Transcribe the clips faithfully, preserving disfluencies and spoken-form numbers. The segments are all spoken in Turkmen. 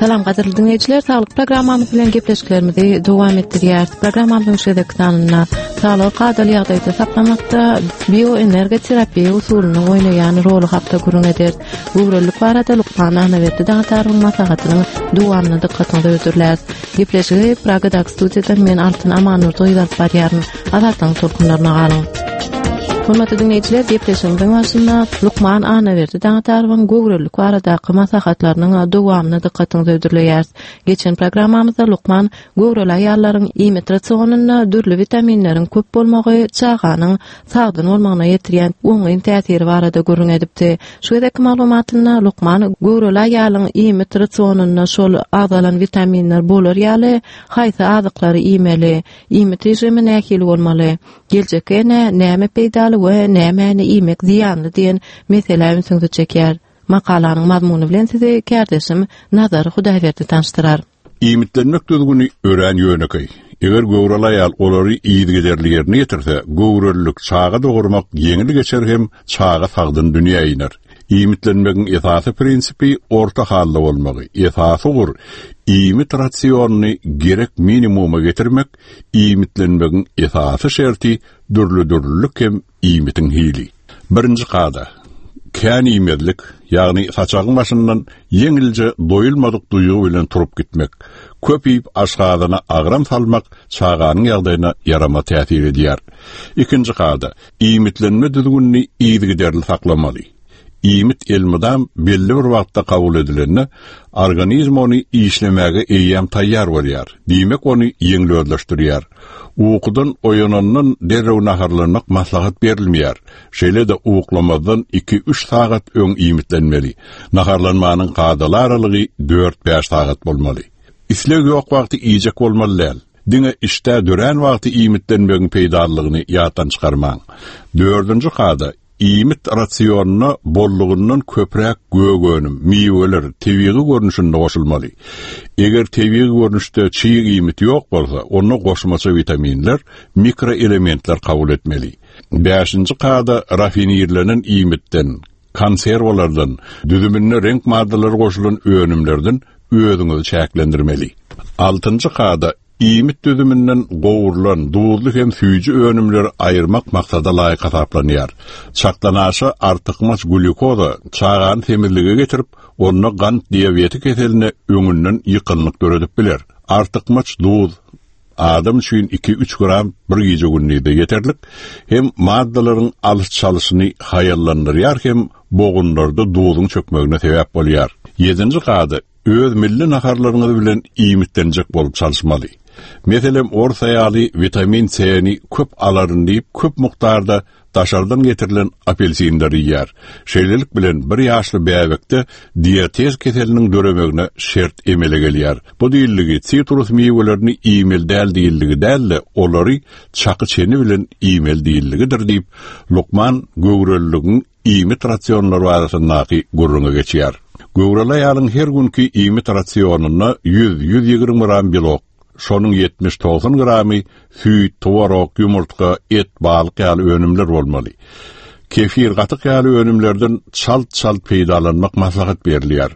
Salam gadyrly dinleýjiler, saglyk programmamyz bilen gepleşiklerimizi dowam etdirýäris. Programmamyzyň şu gezekki sanynda saglygy kadaly ýagdaýda saklamakda bioenergoterapiýa usulynyň oýnaýan roly hakda gürrüň ederis. Göwrelilik barada lukman Annaberdi Daňatarowyň maslahatynyň dowamyny dykgatyňyza hödürläris. Gepleşigi Pragadaky studiýadan men Altyn Amanurdy alyp barýaryn. Azatlygyň tolkunlaryna galyň. Hormatly dinleýjiler, gepleşigimiziň başynda lukman Annaberdi Daňatarowyň göwrelilik baradaky maslahatlarynyň dowamyny dykgatyňyza hödürleýäris. Geçen programmamyzda lukman göwreli aýallaryň iýmit rasionynda dürli witaminleriň köp bolmagy çaganyň sagdyn bolmagyna ýetirýän oňyn täsiri barada gürrüň edipdi. Şu gezekki maglumatynda lukman göwreli aýalyň iýmit rasionynda şol agzalan witaminler bolar ýaly haýsy azyklary iýmeli, iýmit režimi nähili bolmaly, geljekki ene näme peýdaly we nämäni iýmek zyýanly diýen meselä ünsüňizi çekýär. Makalanyň mazmuny bilen sizi kärdeşim Nazar Hudaýberdi tanyşdyrar. Iýmitlenmek düzgüni örän ýönekeý. Eger göwreli aýal olary yzygiderli ýerine ýetirse, göwrelilik çaga dogurmak ýeňil geçer hem çaga sagdyn dünýä iner. Iýmitlenmegiň esasy prinsipi orta halda bolmagy. Esasy ugur iýmit rasionyny gerek minimuma getirmek, iýmitlenmegiň esasy şerti dürli-dürlülik hem iýmitiň hili. Birinji kada, kän iýmezlik, ýagny saçagyň başyndan ýeňilje doýulmadyk duýgy bilen turup gitmek, köp iýip aşgazana agram salmak çaganyň ýagdaýyna ýarama täsir edýär. Ikinji kada, iýmitlenme düzgünini yzygiderli saklamaly. Iýmit elmydam belli bir wagtda kabul edilende, organizm ony işlemäge eýýäm taýýar bolýar. Diýmek ony ýeňil özleşdirýär. Ukudan oýanandan derrew naharlanmak maslahat berilmeýär. Şeýle-de uklamazdan iki-üç sagat öň iýmitlenmeli. Naharlanmanyň kadaly aralygy dört-bäş sagat bolmaly. Isleg ýok wagty iýjek bolmaly däl. Diňe işdä dörän wagty iýmitlenmegiň peýdalylygyny ýatdan çykarmaň. Dördünji kada, iýmit rasionyna bollugyndan köpräk gök önüm, miweler tebigy görnüşinde goşulmaly. Eger tebigy görnüşde çig iýmit ýok bolsa, onda goşmaça witaminler, mikroelementler kabul etmeli. Bäşinji kada, rafinirlenen iýmitden, konserwalardan, düzüminde reňk maddalary goşulan önümlerden özüňizi çäklendirmeli. Altynjy kada, iýmit düzüminden gowrulan, duzly hem süýji önümleri aýyrmak maksada laýyk hasaplanýar. Çakdanaşa artykmaç glýukoza çagany semizlige getirip, onda gant diabeti keseline öňünden ýykgynlyk döredip biler. Artykmaç duz adam üçin iki-üç gram bir gije gündizde ýeterlik, hem maddalaryň alyş-çalyşyny haýallandyrýar hem bogunlarda duzuň çökmegine sebäp bolýar. Ýedinji kada, öz milli naharlaryňyz bilen iýmitlenjek bolup çalyşmaly. Meselem, ors aýaly witamin C-ni köp alaryn diýip, köp mukdarda daşardan getirilen apelsinleri iýýär. Şeýlelik bilen bir ýaşly bäbekde diatez keseliniň döremegine şert emele gelýär. Bu diýildigi sitrus miwelerini iýmeli däl diýildigi däl-de, olary çaky çeni bilen iýmeli diýildigidir diýip, lukman göwreliligiň iýmit rasionlary barasyndaky gürrüňe geçýär. Göwreli aýalyň her günki iýmit rasionynda ýüz, ýüz ýigrimi gram belok, şonuň ýetmiş togsan gramy süýt, tworog, ýumurtga, et, balyk ýaly önümler bolmaly. Kefir, gatyk ýaly önümlerden çalt-çalt peýdalanmak maslahat berilýär.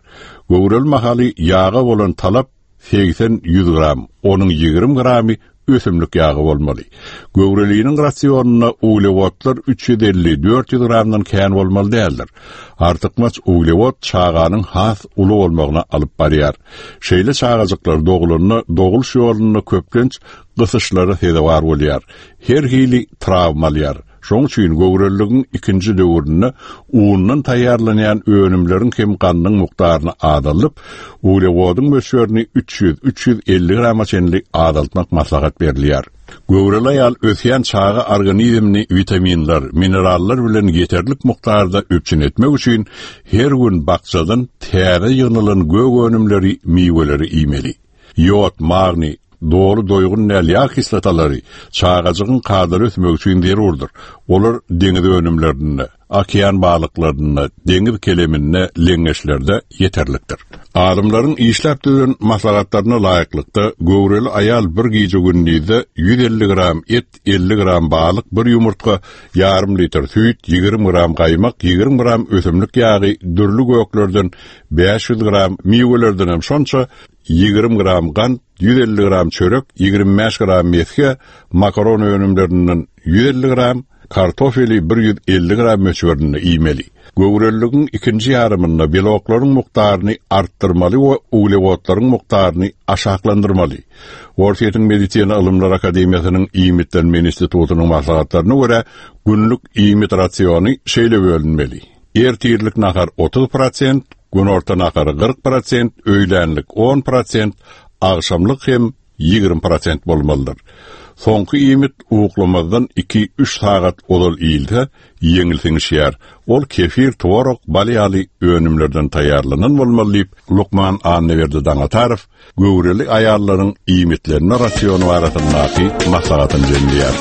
Göwreli mahaly ýaga bolan talap segsen ýüz gram, onuň ýigrimi gramy ösümlik ýagy bolmaly. Göwreliniň rasionynda uglewodlar üç ýüz elli, dört ýüz gramdan kän bolmaly däldir. Artykmaç uglewod çaganyň has uly bolmagyna alyp barýar. Şeýle çagajyklar dogulanda doguluş ýolunda köplenç gysyşlara sezewar bolýar. Her hili travma alýar. Şonuň üçin göwreliligiň ikinji döwründe undan taýýarlanýan önümleriň hem gandyň mukdaryny azaldyp, uglewodyň möçberini üç ýüz, üç ýüz elli grama çenli azaltmak maslahat berilýär. Göwreli aýal ösýän çaga organizmini witaminler, minerallar bilen ýeterlik mukdarda üpjün etmek üçin her gün bakjadan täze ýygnalan gök önümleri, miweleri iýmeli. Ýod, magniý, doly doýgun däl ýag kislotalary çagajygyň kadaly ösmegi üçin zerurdyr. Olar deňiz önümlerinde, okean balyklarynda, deňiz keleminde, leňňeçlerde ýeterlikdir. Alymlaryň işläp düzen maslahatlaryna laýyklykda göwreli aýal bir gije gündizde ýüz elli gram et, elli gram balyk, bir ýumurtga, ýarym litr süýt, ýigrimi gram gaýmak, ýigrimi gram ösümlik ýagy, dürli göklerden bäş ýüz gram, miwelerden hem şonça ýigrimi gram gant, ýüz elli gram çörek, ýigrimi bäş gram mesge, makaron önümlerinden ýüz elli gram, kartofeli bir ýüz elli gram möçberinde iýmeli. Göwreliligiň ikinji ýarymynda beloklaryň mukdaryny artdyrmaly we uglewodlaryň mukdaryny aşaklandyrmaly. Orsýetiň Medisina Ylymlar Akademiýasynyň Iýmitlenme institutynyň maslahatlaryna görä günlük iýmit rasiony şeýle bölünmeli. Ertirlik nahar otuz prosent, günorta nahary kyrk prosent, öýlänlik on prosent, agşamlyk hem ýigrimi prosent bolmalydyr. Soňky iýmit uklamazdan iki-üç sagat ozal iýilse, ýeňil siňişýär. Ol kefir, tworog, bal ýaly önümlerden taýýarlanan bolmaly diýip, lukman Annaberdi Daňatarow göwreli aýallaryň iýmitlenme rasiony barasyndaky maslahatyny jemleýär.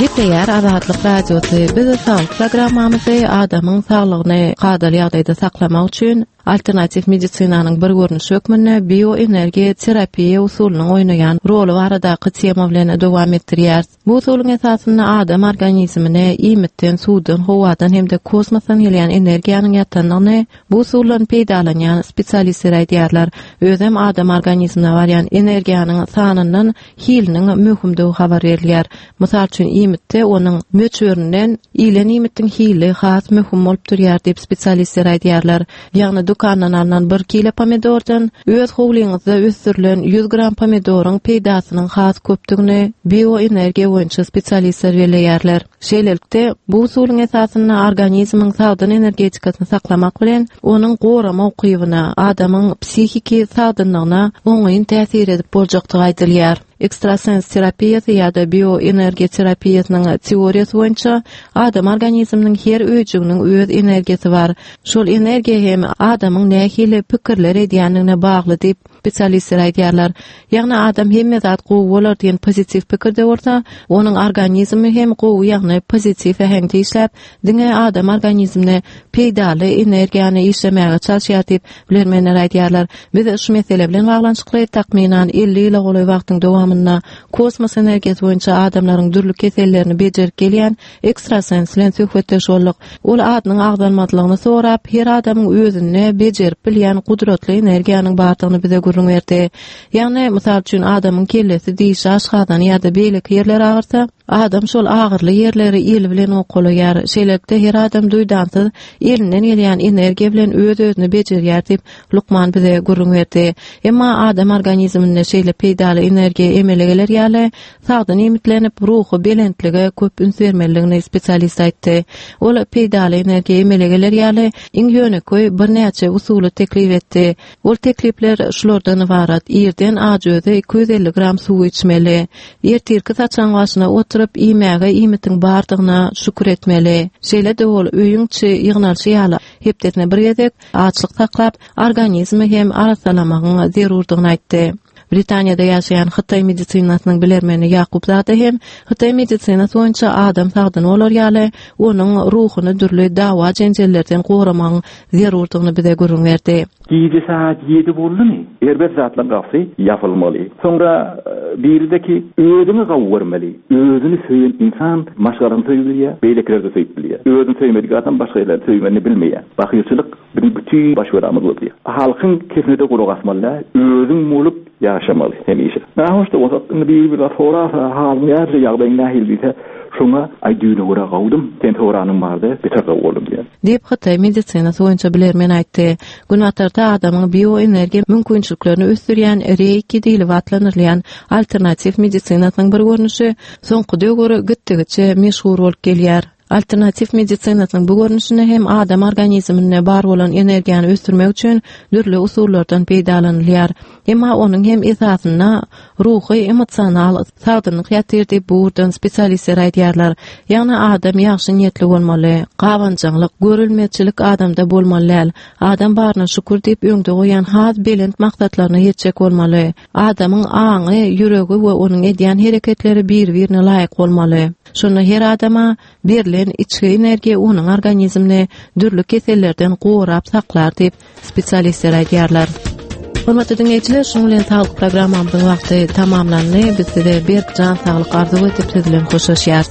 Gepleýär Azatlyk Radiosy. Biz saglyk programmamyzy adamyň saglygyny kadaly ýagdaýda saklamak üçin alternatiw medisinanyň bir görnüşi hökmünde bioenergiýa terapiýa usulynyň oýnaýan roly baradaky tema bilen dowam etdirýäris. Bu usulyň esasynda adam organizmine iýmitden, suwdan, howadan hem-de kosmosdan gelýän energiýanyň ýatandygyny bu usuldan peýdalanýan spesialistler aýdýarlar. Özem adam organizmine barýan energiýanyň sanyndan hiliniň möhümdigi habar berilýär. Mysal üçin iýmitde onuň möçberinden iýilen iýmitiň hili has möhüm bolup durýar diýip spesialistler aýdýarlar. Ýagny dükandan alnan bir kilo pomidordan öz howlyňyzda ösdürilen ýüz gram pomidoryň peýdasynyň has köpdügini bioenergiýa boýunça spesialistler belleýärler. Şeýlelikde, bu usulyň esasynda organizmiň sagdyn energetikasyny saklamak bilen onuň gorama ukybyna, adamyň psihiki sagdynlygyna oňyn täsir edip boljakdygy aýdylýar. Ekstrasens terapiýasy ýa-da bioenergiýa terapiýasynyň teoriýasy boýunça adam organizminiň her öýjüginiň öz energiýasy bar. Şol energiýa hem adamyň nähili pikirler edýändigine bagly diýip spesialistler aýdýarlar. Ýagny adam hemme zat gowy bolar diýen pozitiw pikirde bolsa, onuň organizmi hem gowy, ýagny pozitiw äheňde işläp, diňe adam organizmine peýdaly energiýany işlemäge çalyşýar diýip bilermenler aýdýarlar. Biz şu mesele bilen baglanyşykly takmynan elli ýyla golaý wagtyň dowamynda kosmos energiýasy boýunça adamlaryň dürli kesellerini bejerip gelýän ekstrasens bilen söhbetdeş bolduk. Ol adynyň agzalmazlygyny sorap, her adamyň özünde bejerip bilýän gudratly energiýanyň bardygyny bize gürrüň berdi. Ýagny, mysal üçin, adamyň kellesi, dişi, aşgazany ýa-da beýleki ýerleri agyrsa, adam şol agyrly ýerleri eli bilen okalaýar. Şeýlelikde her adam duýdansyz elinden gelýän energiýa bilen öz-özüni bejerýär diýip lukman bize gürrüň berdi. Emma adam organizminde şeýle peýdaly energiýa emele geler ýaly, sagdyn iýmitlenip, ruhy belentlige köp üns bermelidigini spesialist aýtdy. Ol peýdaly energiýa emele geler ýaly iň ýönekeý birnäçe usuly teklip etdi. Ol teklipler şulardan ybarat: irden ajöze iki ýüz elli gram suw içmeli, ertirki saçaň başyna oturyp iýmäge iýmitiň bardygyna şükür etmeli. Şeýle-de ol öýüň içi ýygnalşy ýaly hepdesine bir gezek açlyk saklap, organizmi hem arassalamagyň zerurdygyny aýtdy. Britaniýada ýaşaýan Hytaý medisinasynyň bilermeni Ýakup Zade hem Hytaý medisinasy boýunça adam sagdyn bolar ýaly, onuň ruhuny dürli dawa jenjellerden goramagyň zerurdygyny bize gürrüň berdi. Gije saat ýedi boldumy? Erbet zatlaryň gapysy ýapylmaly. Soňra, e, birideki özüňi gawy görmeli. Özüni söýen insan maşgalasyny söýüp bilýär, beýlekileri de söýüp bilýär. Özüni söýmedik adam başga ýerleri söýmegini bilmeýär. Bakyrçylyk biziň bütün baş belamyz bolýar. Halkyň kesmede gulak asmaly, özüň bolup ýaşamaly hemişe. Nähoşda bolsa, indi biri bir sorasa, halyň nähili, ýagdaýyň nähili diýse, şoňa aý düýne görä gawdum, sen soranyň bardy, beter gaw boldum diýär. Diýip Hytaý medisinasy boýunça bilermen aýtdy. Günbatarda adamyň bioenergiýa mümkinçiliklerini ösdürýän reiki diýlip atlandyrylýan alternatiw medisinasynyň bir görnüşi soňky döwür gitdigiçe meşhur bolup gelýär. Alternatiw medisinasynyň bu görnüşinde hem adam organizminde bar bolan energiýany ösdürmek üçin dürli usullardan peýdalanylýar. Emma onuň hem esasynda ruhy, emosional sagdynlyk ýatyr diýip bu ugurdan spesialistler aýdýarlar. Ýagny adam ýagşy niýetli bolmaly, gabanjaňlyk, görülmezçilik adamda bolmaly däl. Adam baryna şükür diýip öňde goýan has belent maksatlaryna ýetjek bolmaly. Adamyň aňy, ýüregi we onuň edýän hereketleri bir-birine laýyk bolmaly. Şonda her adama berlen içki energiýa onuň organizmini dürli kesellerden gorap saklar diýip spesialistler aýdýarlar. Hormatly diňleýjiler, şunuň bilen saglyk programmamyzyň wagty tamamlandy. Biz size berk jan saglyk arzuw edip siz bilen hoşlaşýarys.